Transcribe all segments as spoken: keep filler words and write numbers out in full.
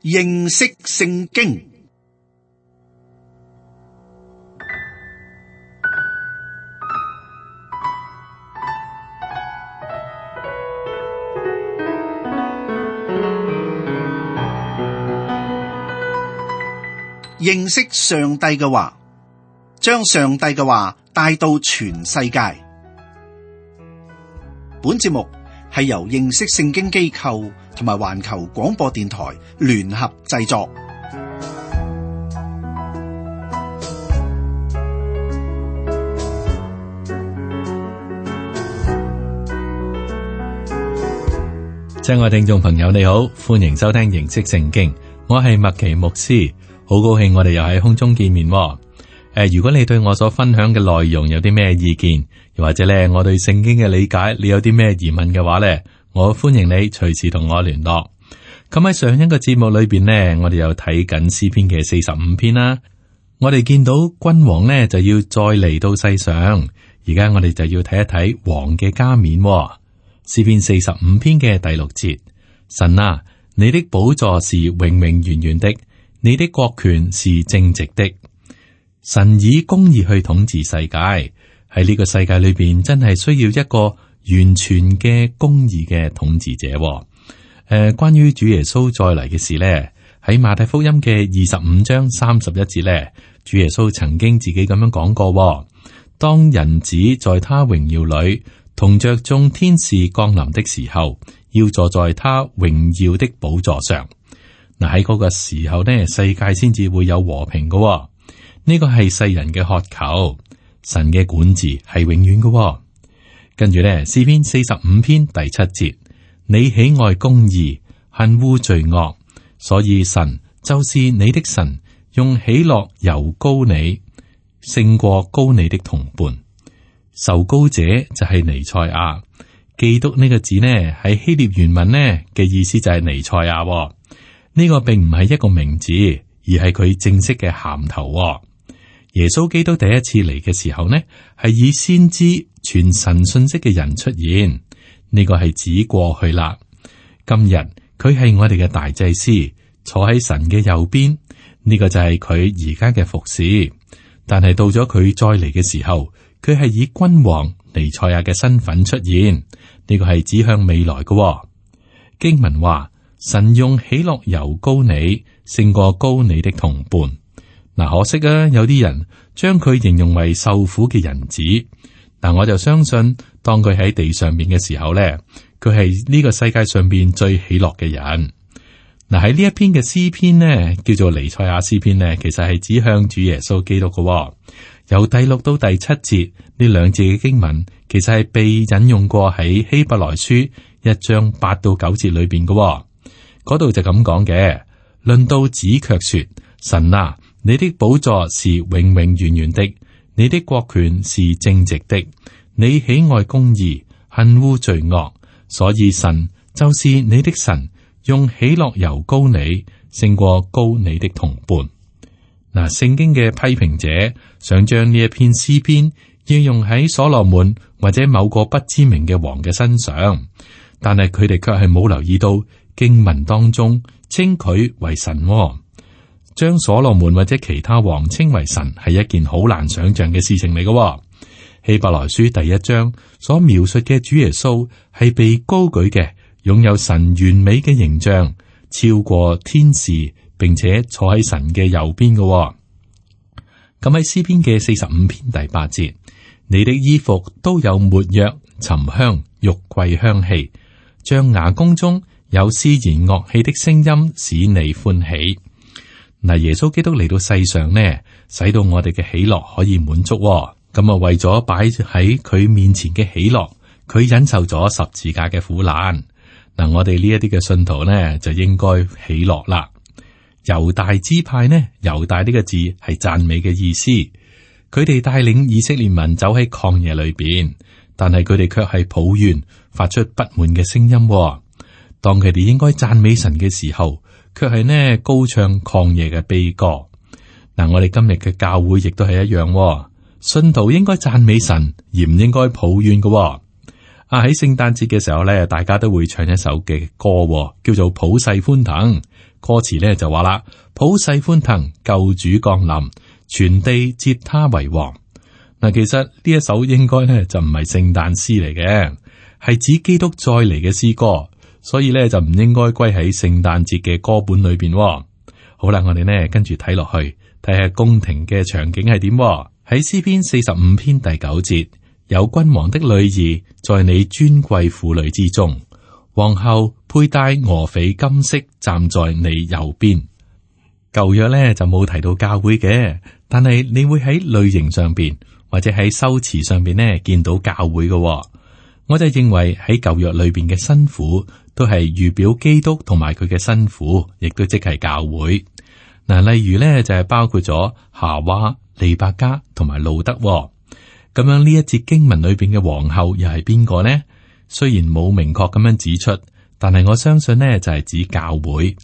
認識聖經。認識上帝嘅話，將上帝嘅話帶到全世界。本節目係由認識聖經機構同埋環球廣播電台聯合製作。親愛聽眾朋友，你好，歡迎收聽認識聖經，我係麥奇牧師，好高興我哋又喺空中見面。誒、呃，如果你對我所分享嘅內容有啲咩意見，又或者咧我對聖經嘅理解，你有啲咩疑問嘅話咧，我歡迎你隨時同我聯絡。咁喺上一個節目裏邊呢，我哋又睇緊詩篇嘅四十五篇啦。我哋見到君王呢就要再嚟到世上，而家我哋就要睇一睇王嘅加冕。詩篇四十五篇嘅第六節，神啊，你的寶座是永永遠遠的，你的國權是正直的。神以公義去統治世界，喺呢個世界裏邊真係需要一個完全嘅公義嘅統治者。誒、呃，關於主耶穌再嚟嘅事呢，喺馬太福音嘅二十五章三十一節呢，主耶穌曾經自己咁樣講過：當人子在他榮耀裏同着眾天使降臨的時候，要坐在他榮耀的寶座上。嗱，喺嗰個時候呢，世界先至會有和平嘅。呢個係世人嘅渴求，神嘅管治係永遠嘅。跟住呢，詩篇四十五篇第七節，你喜愛公義，恨惡罪惡，所以神就是你的神，用喜樂油膏你，勝過膏你的同伴。受膏者就係彌賽亞，基督呢個字呢喺希臘原文呢嘅意思就係彌賽亞。呢個並唔係一個名字，而係佢正式嘅銜頭。耶穌基督第一次嚟嘅時候呢，係以先知傳神信息嘅人出現，呢個係指過去啦。今日佢係我哋嘅大祭司，坐喺神嘅右邊，呢個就係佢而家嘅服侍。但係到咗佢再嚟嘅時候，佢係以君王彌賽亞嘅身份出現，呢個係指向未來嘅。經文話，神用喜樂油膏你，勝過膏你的同伴。嗱，可惜啊，有啲人將佢形容為受苦嘅人子。嗱，我就相信，當佢喺地上面嘅時候咧，佢係呢個世界上邊最喜樂嘅人。嗱，喺呢一篇嘅詩篇呢，叫做彌賽亞詩篇呢，其實係指向主耶穌基督嘅。由第六到第七節呢兩節嘅經文，其實係被引用過喺希伯來書一章八到九節裏邊嘅。嗰度就咁講嘅，論到子卻說：神啊，你的寶座是永永遠遠的，你的國權是正直的，你喜愛公義，恨惡罪惡，所以神就是你的神，用喜樂油膏你，勝過膏你的同伴。嗱，聖經嘅批評者想將呢一篇詩篇應用喺所羅門或者某個不知名嘅王嘅身上，但係佢哋卻係冇留意到經文當中稱佢為神。將所羅門或者其他王稱為神係一件好難想象嘅事情嚟嘅。希伯來書第一章所描述嘅主耶穌係被高舉嘅，擁有神完美嘅形象，超過天使，並且坐喺神嘅右邊嘅。咁喺詩篇嘅四十五篇第八節，你的衣服都有沒藥、沉香、玉桂香氣，象牙宮中有絲弦樂器的聲音，使你歡喜。嗱，耶穌基督嚟到世上呢，使到我哋嘅喜樂可以滿足。咁啊，為咗擺喺佢面前嘅喜樂，佢忍受咗十字架嘅苦難。嗱，我哋呢一啲嘅信徒呢，就應該喜樂啦。猶大支派呢，猶大呢個字係讚美嘅意思。佢哋帶領以色列民走喺曠野裏邊，但係佢哋卻係抱怨，發出不滿嘅聲音。當佢哋應該讚美神嘅時候，卻係呢高唱曠野嘅悲歌。嗱，我哋今日嘅教會亦都係一樣，信徒應該讚美神，而唔應該抱怨嘅。啊，喺聖誕節嘅時候咧，大家都會唱一首嘅歌，叫做普世歡騰。歌詞咧就話啦：普世歡騰，救主降臨，全地接他為王。嗱，其實呢一首應該咧就唔係聖誕詩嚟嘅，係指基督再嚟嘅詩歌，所以咧就唔應該歸喺聖誕節嘅歌本裏邊。好啦，我哋呢跟住睇落去，睇下宮廷嘅場景係點。喺詩篇四十五篇第九節，有君王的女兒在你尊貴婦女之中，皇后佩戴俄斐金飾站在你右邊。舊約咧就冇提到教會嘅，但係你會喺類型上邊或者喺修辭上邊呢見到教會嘅。我就認為喺舊約裏邊嘅新婦都係預表基督同埋佢嘅新婦，亦都即係教會。嗱，例如咧就係包括咗夏娃、利百加同埋路德。咁樣呢一節經文裏邊嘅皇后又係邊個呢？雖然冇明確咁樣指出，但係我相信呢就係指教會，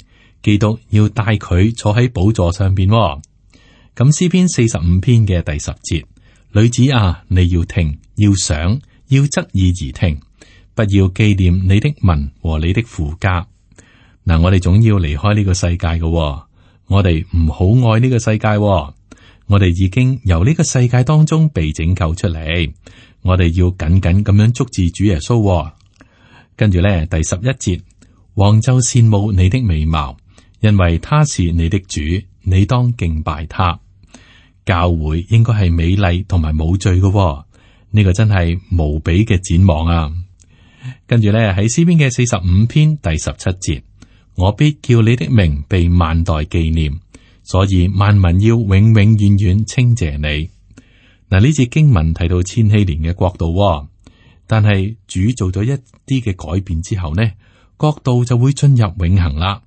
基督要帶佢坐喺寶座上邊。咁詩篇四十五篇嘅第十節，女子啊，你要聽，要想，要側耳而聽，不要紀念你的民和你的父家。嗱，我哋總要離開呢個世界嘅，我哋唔好愛呢個世界。我哋已經由呢個世界當中被拯救出嚟，我哋要緊緊咁樣捉住主耶穌。跟住咧，第十一節，王就羨慕你的美貌，因為他是你的主，你當敬拜他。教會應該係美麗同埋冇罪嘅，呢個真係無比嘅展望啊！跟住咧，喺詩篇嘅四十五篇第十七節，我必叫你的名被萬代紀念。所以萬民要永永遠遠稱謝你。嗱，呢節經文提到千禧年嘅國度，但係主做咗一啲嘅改變之後呢，國度就會進入永恆啦。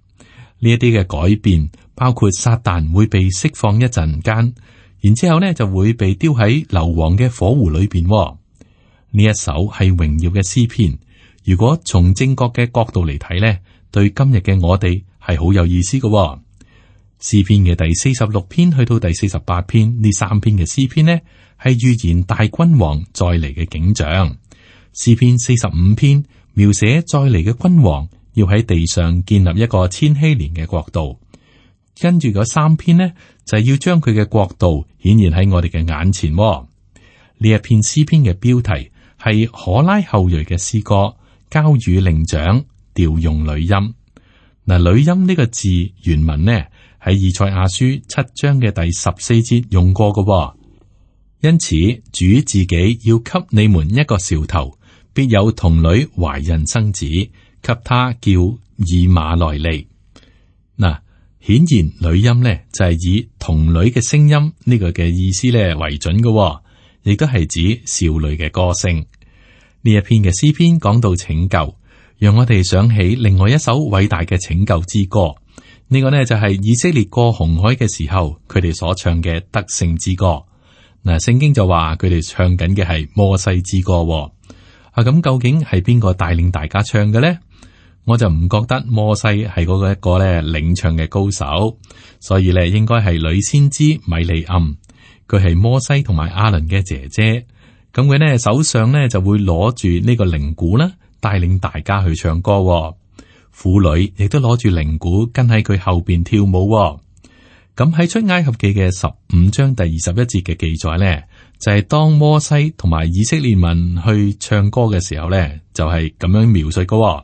呢一啲嘅改變包括撒旦會被釋放一陣間，然之後呢就會被丟喺硫磺嘅火湖裏邊。呢一首係榮耀嘅詩篇，如果從正確嘅角度嚟睇呢，對今日嘅我哋係好有意思嘅。詩篇嘅第四十六篇去到第四十八篇，呢三篇嘅詩篇呢，係預言大君王再嚟嘅景象。詩篇四十五篇描寫再嚟嘅君王要喺地上建立一個千禧年嘅國度，跟住嗰三篇呢，就係要將佢嘅國度顯現喺我哋嘅眼前。呢一篇詩篇嘅標題係可拉後裔嘅詩歌，交與伶長，調用女音。嗱，女音呢個字原文呢，喺以賽亞書七章嘅第十四節用過嘅。因此主自己要給你們一個兆頭，必有童女懷孕生子，給他叫以馬內利。嗱，顯然女音呢就係以童女嘅聲音呢個嘅意思咧為準嘅，亦都係指少女嘅歌聲。呢一篇嘅詩篇講到拯救，讓我哋想起另外一首偉大嘅拯救之歌。呢個呢就係以色列過紅海嘅時候，佢哋所唱嘅得勝之歌。嗱，聖經就話佢哋唱緊嘅係摩西之歌。啊，咁究竟係邊個帶領大家唱嘅呢？我就唔覺得摩西係嗰個一個咧領唱嘅高手，所以咧應該係女先知米利暗，佢係摩西同埋亞倫嘅姐姐。咁佢呢手上呢就會攞住呢個鈴鼓啦，帶領大家去唱歌。婦女亦都攞住鈴鼓跟喺佢後邊跳舞。咁喺出埃及記嘅十五章第二十一節嘅記載呢，就係、是、當摩西同埋以色列民去唱歌嘅時候呢，就係、是、咁樣描述嘅。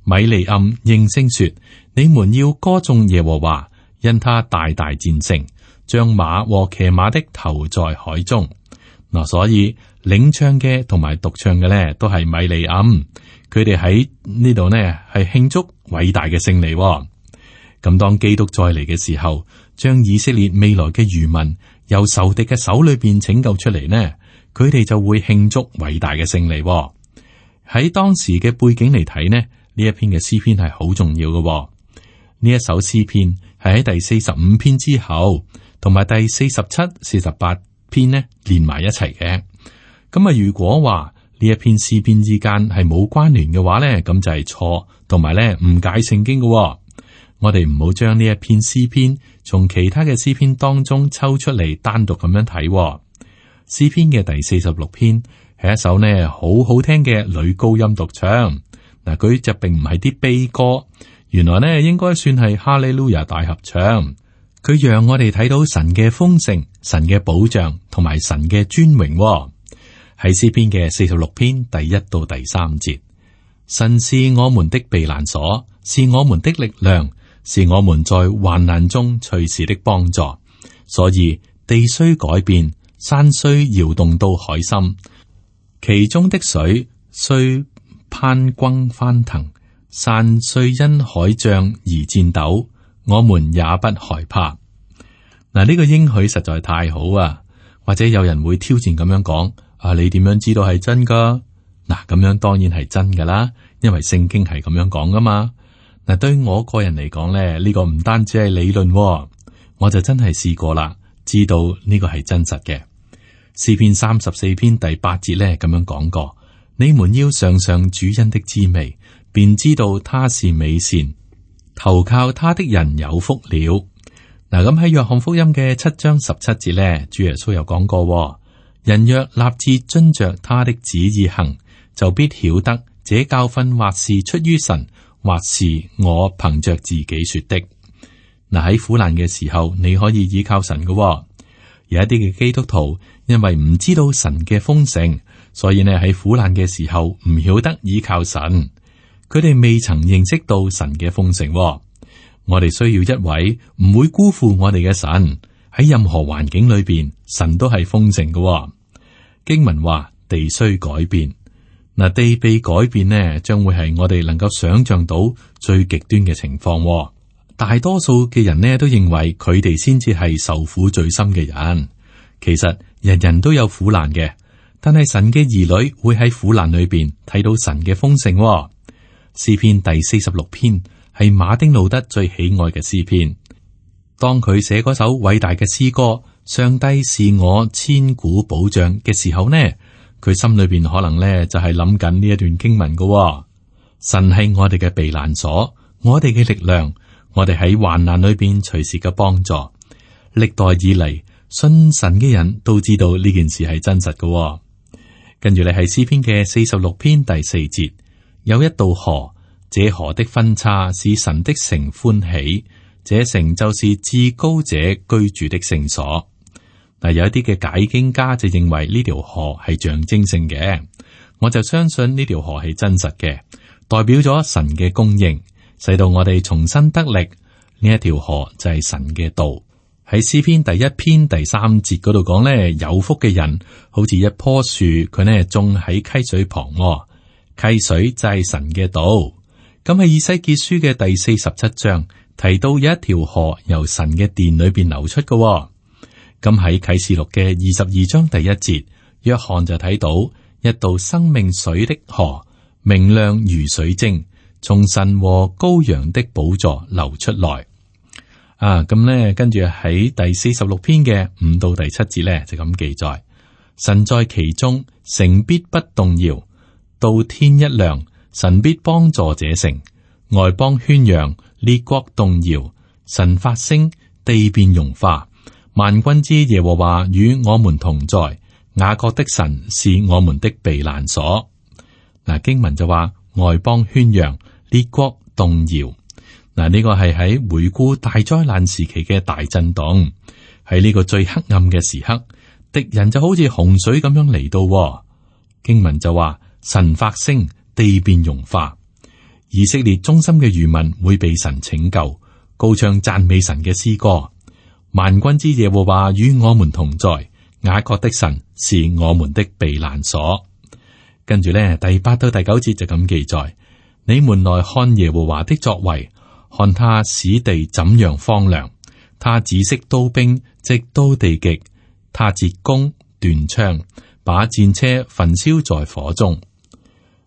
米利暗應聲說：你們要歌頌耶和華，因他大大戰勝，將馬和騎馬的投在海中。嗱，所以領唱嘅同埋獨唱嘅呢，都係米利暗。佢哋喺呢度呢，係慶祝偉大嘅勝利。咁當基督再嚟嘅時候，將以色列未來嘅餘民由仇敵嘅手裏邊拯救出嚟呢，佢哋就會慶祝偉大嘅勝利。喺當時嘅背景嚟睇呢，呢一篇嘅詩篇係好重要嘅。呢一首詩篇係喺第四十五篇之後，同埋第四十七、四十八篇呢連埋一齊嘅。咁啊，如果話呢一篇詩篇之間係冇關聯嘅話呢，咁就係錯，同埋咧誤解聖經嘅。我哋唔好將呢一篇詩篇從其他嘅詩篇當中抽出嚟單獨咁樣睇。詩篇嘅第四十六篇係一首呢好好聽嘅女高音獨唱。嗱，佢就並唔係啲悲歌，原來呢應該算係哈利路亞大合唱。佢讓我哋睇到神嘅豐盛、神嘅保障同埋神嘅尊榮、哦。喺詩篇嘅四十六篇第一到第三節，神是我們的避難所，是我們的力量，是我們在患難中隨時的幫助。所以地雖改變，山雖搖動到海心，其中的水雖攀轟翻騰，山雖因海漲而顫抖，我們也不害怕。嗱，呢個應許實在太好啊！或者有人會挑戰咁樣講：啊，你點樣知道係真噶？嗱，咁樣當然係真噶啦，因為聖經係咁樣講噶嘛。嗱，對我個人嚟講咧，呢個唔單止係理論，我就真係試過啦，知道呢個係真實嘅。詩篇三十四篇第八節咧咁樣講過：你們要嘗嘗主恩的滋味，便知道他是美善，投靠他的人有福了。嗱，咁喺約翰福音嘅七章十七節咧，主耶穌有講過：人若立志遵着他的旨意行，就必曉得這教訓或是出於神，或是我憑着自己說的。嗱，喺苦難嘅時候，你可以依靠神嘅。有一啲嘅基督徒因為唔知道神嘅豐盛，所以呢喺苦難嘅時候唔曉得依靠神，佢哋未曾認識到神嘅豐盛。我哋需要一位唔會辜負我哋嘅神，喺任何環境裏邊，神都係豐盛嘅。經文話地雖改變，嗱，地被改變呢，將會係我哋能夠想象到最極端嘅情況。大多數嘅人呢都認為佢哋先至係受苦最深嘅人。其實人人都有苦難嘅，但係神嘅兒女會喺苦難裏邊睇到神嘅豐盛。詩篇第四十六篇係馬丁路德最喜愛嘅詩篇。當佢寫嗰首偉大嘅詩歌《上帝是我千古保障》嘅時候呢，佢心裏邊可能呢就係諗緊呢一段經文嘅。神係我哋嘅避難所，我哋嘅力量，我哋喺患難裏邊隨時嘅幫助。歷代以嚟信神嘅人都知道呢件事係真實嘅。跟住你係詩篇嘅四十六篇第四節，有一道河。這河的分叉使神的城歡喜，這城就是至高者居住的聖所。嗱，有一啲嘅解經家就認為呢條河係象徵性嘅，我就相信呢條河係真實嘅，代表咗神嘅供應，使到我哋重新得力。呢一條河就係神嘅道。喺詩篇第一篇第三節嗰度講呢，有福嘅人好似一棵樹，佢呢種喺溪水旁，溪水就係神嘅道。咁喺以西結書嘅第四十七章提到有一條河由神嘅殿裏邊流出嘅。咁喺啟示錄嘅二十二章第一節，約翰就睇到一道生命水的河，明亮如水晶，從神和羔羊的寶座流出來。啊，咁咧跟住喺第四十六篇嘅五到第七節咧就咁記載：神在其中，城必不動搖，到天一亮。神必幫助這城，外邦喧嚷，列國動搖。神發聲，地變融化。萬軍之耶和華與我們同在，雅各的神是我們的避難所。嗱，經文就話外邦喧嚷，列國動搖。嗱，呢個係喺回顧大災難時期嘅大震動。喺呢個最黑暗嘅時刻，敵人就好似洪水咁樣嚟到。經文就話神發聲，地變融化。以色列忠心嘅餘民會被神拯救，高唱讚美神嘅詩歌。萬軍之耶和華與我們同在，雅各的神是我們的避難所。跟住咧，第八到第九節就咁記載：你們來看耶和華的作為，看他使地怎樣荒涼，他止息刀兵，直到地極，他折弓斷槍，把戰車焚燒在火中。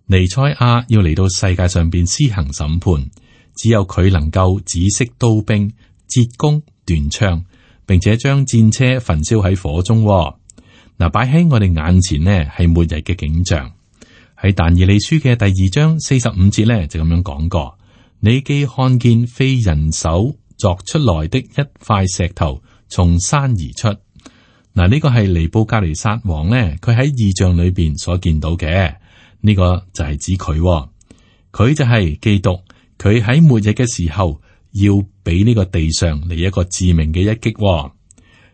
彌賽亞要嚟到世界上邊施行審判，只有佢能夠止息刀兵、折弓斷槍，並且將戰車焚燒喺火中。嗱，擺喺我哋眼前呢係末日嘅景象。喺但以理書嘅第二章四十五節呢就咁樣講過：你既看見非人手鑿出來的一塊石頭從山而出。嗱，呢個係尼布甲尼撒王呢，佢喺異象裏邊所見到嘅。呢個就係指佢，佢就係基督，佢喺末日嘅時候要俾呢個地上嚟一個致命嘅一擊、哦。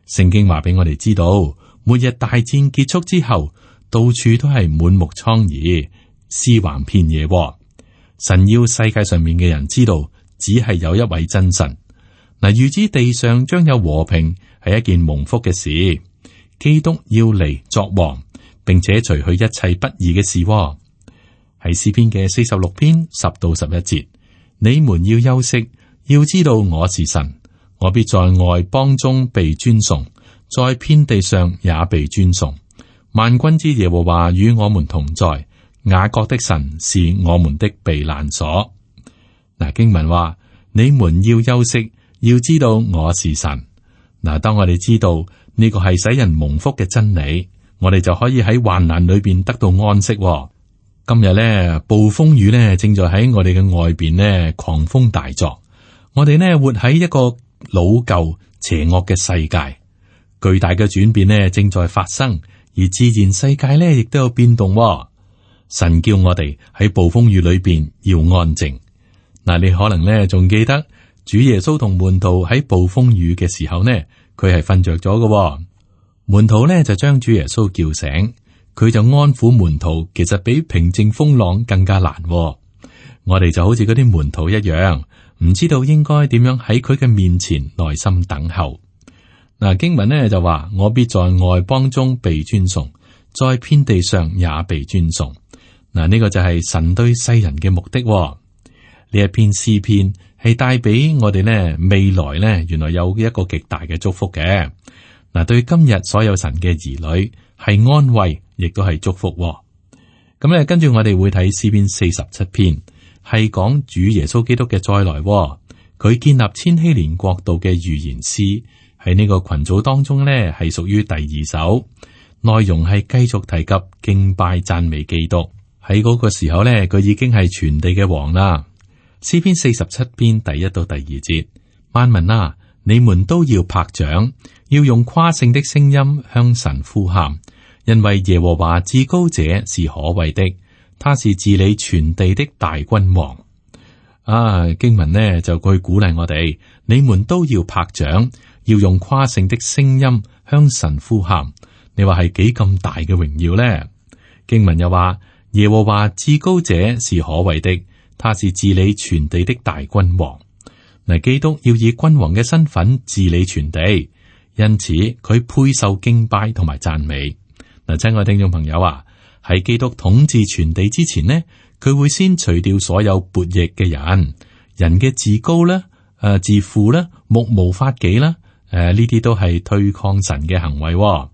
聖經話俾我哋知道，末日大戰結束之後，到處都係滿目瘡痍，屍橫遍野、哦。神要世界上面嘅人知道，只係有一位真神。嗱，預知地上將有和平係一件蒙福嘅事。基督要嚟作王，並且除去一切不義嘅事、哦。喺詩篇嘅四十六篇十到十一節，你們要休息，要知道我是神，我必在外邦中被尊崇，在遍地上也被尊崇。萬軍之耶和華與我們同在，雅各的神是我們的避難所。嗱，經文話你們要休息，要知道我是神。嗱，當我哋知道呢個係使人蒙福嘅真理，我哋就可以喺患難裏邊得到安息、哦。今日咧，暴風雨咧正在喺我哋嘅外邊咧狂風大作。我哋呢活喺一個老舊邪惡嘅世界，巨大嘅轉變呢正在發生，而自然世界咧亦都有變動、哦。神叫我哋喺暴風雨裏邊要安靜。嗱，你可能咧仲記得主耶穌同門徒喺暴風雨嘅時候呢，佢係瞓着咗嘅。門徒呢就將主耶穌叫醒，佢就安撫門徒，其實比平靜風浪更加難、哦。我哋就好似嗰啲門徒一樣，唔知道應該點樣喺佢嘅面前耐心等候。嗱，經文呢就話：我必在外邦中被尊崇，在遍地上也被尊崇。嗱，呢個就係神對世人嘅目的、哦。呢一篇詩篇係帶俾我哋呢未來呢，原來有一個極大嘅祝福嘅。嗱，對今日所有神嘅兒女係安慰，亦都係祝福、哦。咁咧，跟住我哋會睇詩篇四十七篇，係講主耶穌基督嘅再來、哦。佢建立千禧年國度嘅預言詩，喺呢個群組當中呢，係屬於第二首，內容係繼續提及敬拜讚美基督。喺嗰個時候呢，佢已經係全地嘅王啦。詩篇四十七篇第一到第二節，萬民啊，你們都要拍掌，要用誇勝的聲音向神呼喊，因為耶和華至高者是可畏的，他是治理全地的大君王。啊，經文呢就去鼓勵我哋，你們都要拍掌，要用誇勝的聲音向神呼喊。你話係幾咁大嘅榮耀呢？經文又話，耶和華至高者是可畏的，他是治理全地的大君王。嗱，基督要以君王嘅身份治理全地，因此佢配受敬拜同埋讚美。嗱，親愛聽眾朋友啊，喺基督統治全地之前呢，佢會先除掉所有悖逆嘅人，人嘅自高啦、誒、呃、自負啦、目無法紀啦，誒呢啲都係推抗神嘅行為、哦。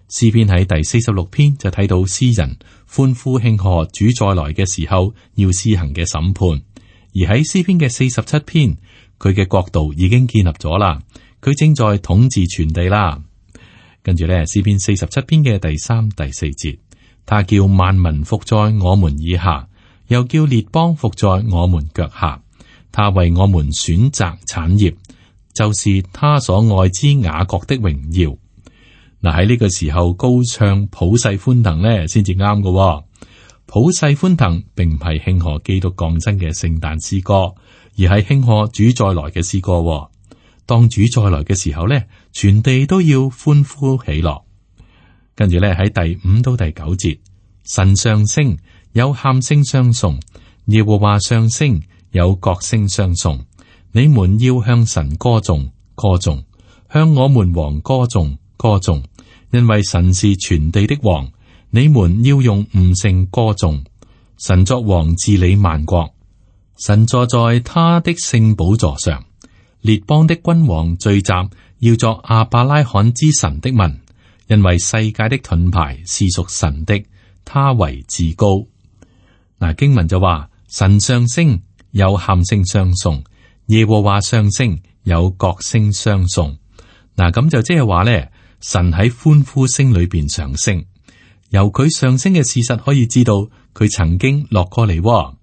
詩篇喺第四十六篇就睇到詩人歡呼慶賀主再來嘅時候要施行嘅審判，而喺詩篇嘅四十七篇，佢嘅國度已經建立咗啦，佢正在統治全地啦。跟住咧，詩篇四十七篇嘅第三、第四節，他叫萬民伏在我們以下，又叫列邦伏在我們腳下。他為我們選擇產業，就是他所愛之雅各的榮耀。嗱，喺呢個時候高唱普世歡騰咧，先至啱嘅。普世歡騰並唔係慶賀基督降生嘅聖誕詩歌，而係慶賀主再來嘅詩歌。當主再來嘅時候咧，全地都要歡呼喜樂。跟住咧，喺第五到第九節，神上升，有喊聲相送；耶和華上升，有角聲相送。你們要向神歌頌，歌頌，向我們王歌頌，歌頌。因為神是全地的王，你們要用悟性歌頌。神作王治理萬國，神坐在他的聖寶座上。列邦的君王聚集，要作亞伯拉罕之神的民。因為世界的盾牌是屬神的，他為至高。嗱，經文就話神上升，有喊聲相送；耶和華上升，有角聲相送。嗱，咁就即係話咧。神喺歡呼聲裏邊上升，由佢上升嘅事實可以知道，佢曾經落過嚟喎。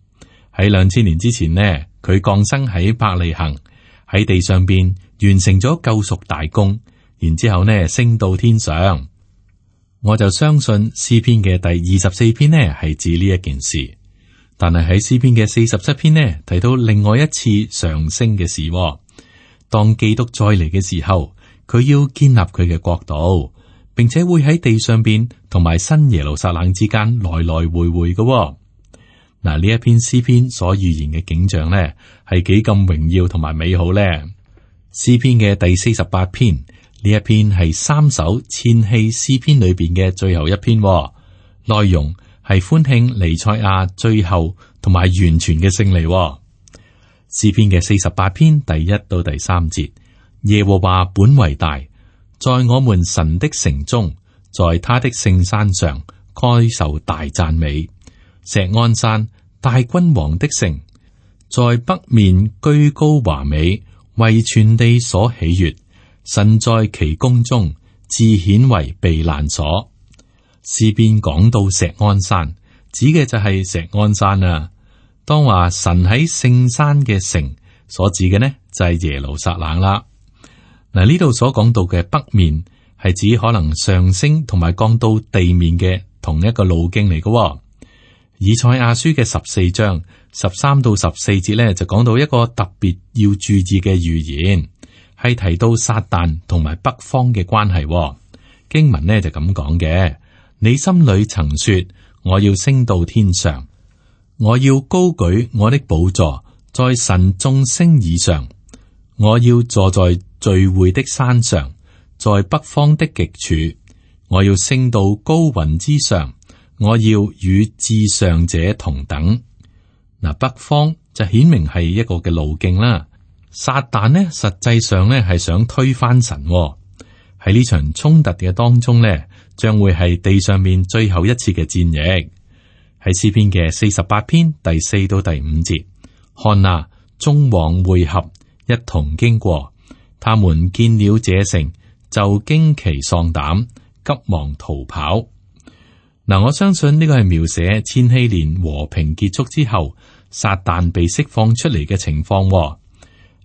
喺兩千年之前呢，佢降生喺伯利恆，喺地上邊完成咗救贖大功，然之後呢升到天上。我就相信詩篇嘅第二十四篇呢係指呢一件事。但係喺詩篇嘅四十七篇呢，提到另外一次上升嘅事，哦。當基督再嚟嘅時候，佢要建立佢嘅國度，並且會喺地上邊同埋新耶路撒冷之間來來回回嘅，哦。嗱，呢一篇詩篇所預言嘅景象呢，係幾咁榮耀同埋美好呢？詩篇嘅第四十八篇，呢一篇係三首千禧詩篇裏邊嘅最後一篇，哦，內容係歡慶彌賽亞最後同埋完全嘅勝利，哦。詩篇嘅四十八篇第一到第三節，耶和華本為大，在我們神的城中，在他的聖山上，該受大讚美。錫安山，大君王的城，在北面居高華美，為全地所喜悅。神在其宮中，自顯為避難所。詩篇講到錫安山，指嘅就係錫安山啊。當話神喺聖山嘅城，所指嘅呢就係耶路撒冷啦。嗱，呢度所講到嘅北面係指可能上升同埋降到地面嘅同一個路徑嚟嘅。以賽亞書嘅十四章十三到十四節咧，就講到一個特別要注意嘅預言，係提到撒旦同埋北方嘅關係。經文呢就咁講嘅：你心裏曾說，我要升到天上，我要高舉我的寶座，在神眾星以上，我要坐在聚會的山上，在北方的極處，我要升到高雲之上，我要與至上者同等。嗱，北方就顯明係一個嘅路徑啦。撒旦呢，實際上呢係想推翻神喎。喺呢場衝突嘅當中呢，將會係地上面最後一次嘅戰役。喺詩篇嘅四十八篇第四到第五節，看啊，眾王會合，一同經過，他們見了這城，就驚奇喪膽，急忙逃跑。嗱，我相信呢個係描寫千禧年和平結束之後，撒旦被釋放出嚟嘅情況。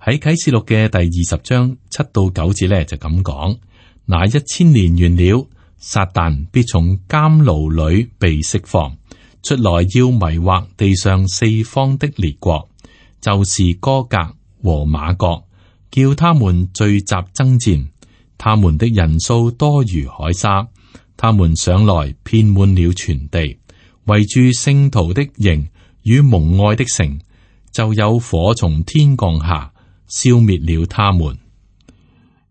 喺啟示錄嘅第二十章七到九節咧，就咁講：那一千年完了，撒旦必從監牢裏被釋放出來，要迷惑地上四方的列國，就是歌革和瑪各，叫他們聚集爭戰。他們的人數多如海沙，他們上來遍滿了全地，圍住聖徒的營與蒙愛的城，就有火從天降下，消滅了他們。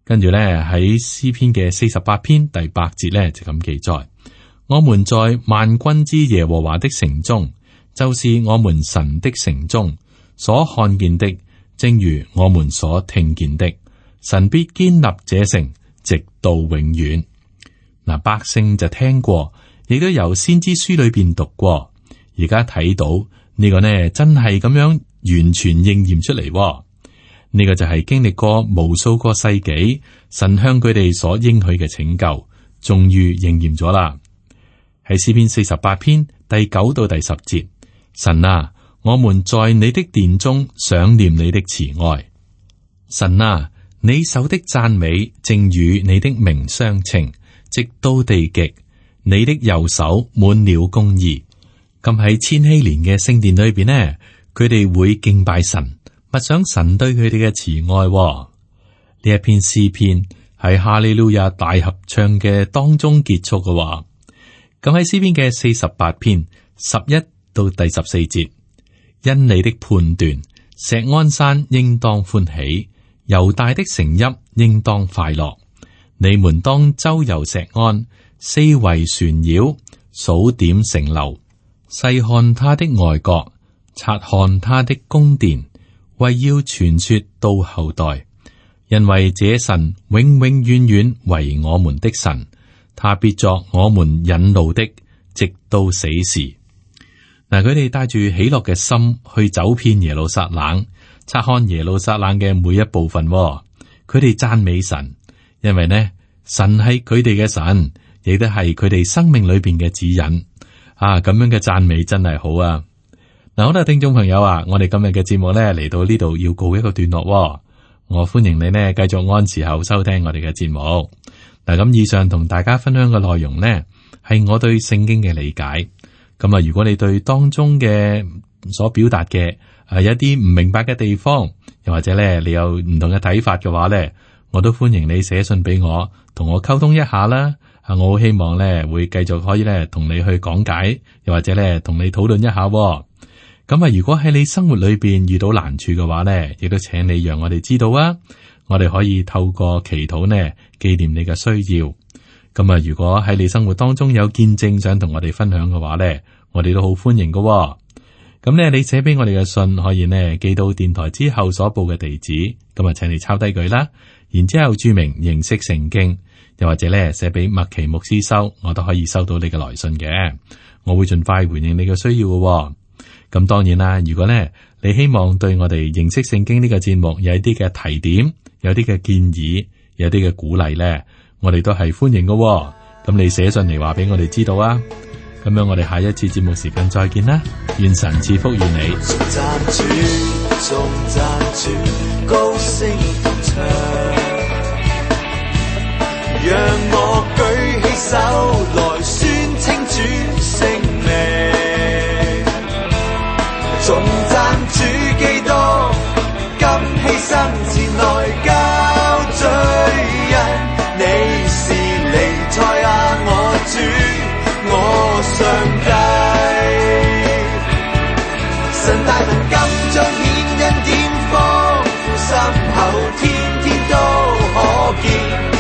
跟住咧，喺詩篇嘅四十八篇第八節咧，就咁記載：我們在萬軍之耶和華的城中，就是我們神的城中所看見的，正如我們所聽見的，神必堅立這城，直到永遠。嗱，百姓就聽過，亦都由先知書裏邊讀過，而家睇到呢個呢，真係咁樣完全應驗出嚟。呢個就係經歷過無數個世紀，神向佢哋所應許嘅拯救，終於應驗咗啦。喺詩篇四十八篇第九到第十節，神啊，我們在你的殿中想念你的慈愛。神啊，你手的讚美正與你的名相稱，直到地極。你的右手滿了公義。咁喺千禧年嘅聖殿裏邊呢，佢哋會敬拜神。默想神對佢哋嘅慈愛。呢一篇詩篇喺哈利路亞大合唱嘅當中結束嘅。咁喺詩篇嘅四十八篇十一到第十四節，因你的判斷，錫安山應當歡喜，猶大的城邑應當快樂。你們當周遊錫安，四圍旋繞，數點城樓，細看他的外郭，察看他的宮殿。為要傳說到後代，因為這神永永遠遠為我們的神，他必作我們引路的，直到死時。嗱，佢哋帶住喜樂嘅心去走遍耶路撒冷，察看耶路撒冷嘅每一部分。佢哋讚美神，因為呢，神係佢哋嘅神，亦都係佢哋生命裏邊嘅指引。啊，咁樣嘅讚美真係好啊！嗱，好啦，聽眾朋友啊，我哋今日嘅節目咧嚟到呢度要告一個段落，哦。我歡迎你呢繼續按時候收聽我哋嘅節目。嗱，咁以上同大家分享嘅內容呢，係我對聖經嘅理解。咁啊，如果你對當中嘅所表達嘅誒有一啲唔明白嘅地方，又或者咧你有唔同嘅睇法嘅話咧，我都歡迎你寫信俾我，同我溝通一下啦。啊，我好希望咧會繼續可以咧同你去講解，又或者咧同你討論一下。咁啊，如果喺你生活裏邊遇到難處嘅話咧，亦都請你讓我哋知道啊，我哋可以透過祈禱呢紀念你嘅需要。咁啊，如果喺你生活當中有見證想同我哋分享嘅話咧，我哋都好歡迎㗎。咁咧，你寫俾我哋嘅信可以呢寄到電台之後所報嘅地址，咁啊，請你抄低佢啦，然之後注明認識聖經。又或者咧寫俾麥奇牧師收，我都可以收到你嘅來信嘅，我會盡快回應你嘅需要嘅。咁當然啦，如果咧你希望對我哋認識聖經呢個節目有一啲嘅提點，有啲嘅建議，有啲嘅鼓勵咧，我哋都係歡迎嘅。咁你寫信嚟話俾我哋知道啊。咁樣我哋下一次節目時間再見啦，願神賜福於你。讓我舉起手來宣稱主聖名，頌讚主基督，今犧牲前來交罪人。你是彌賽亞，我主，我上帝。神大能今彰顯恩典，豐富深厚，天天都可見。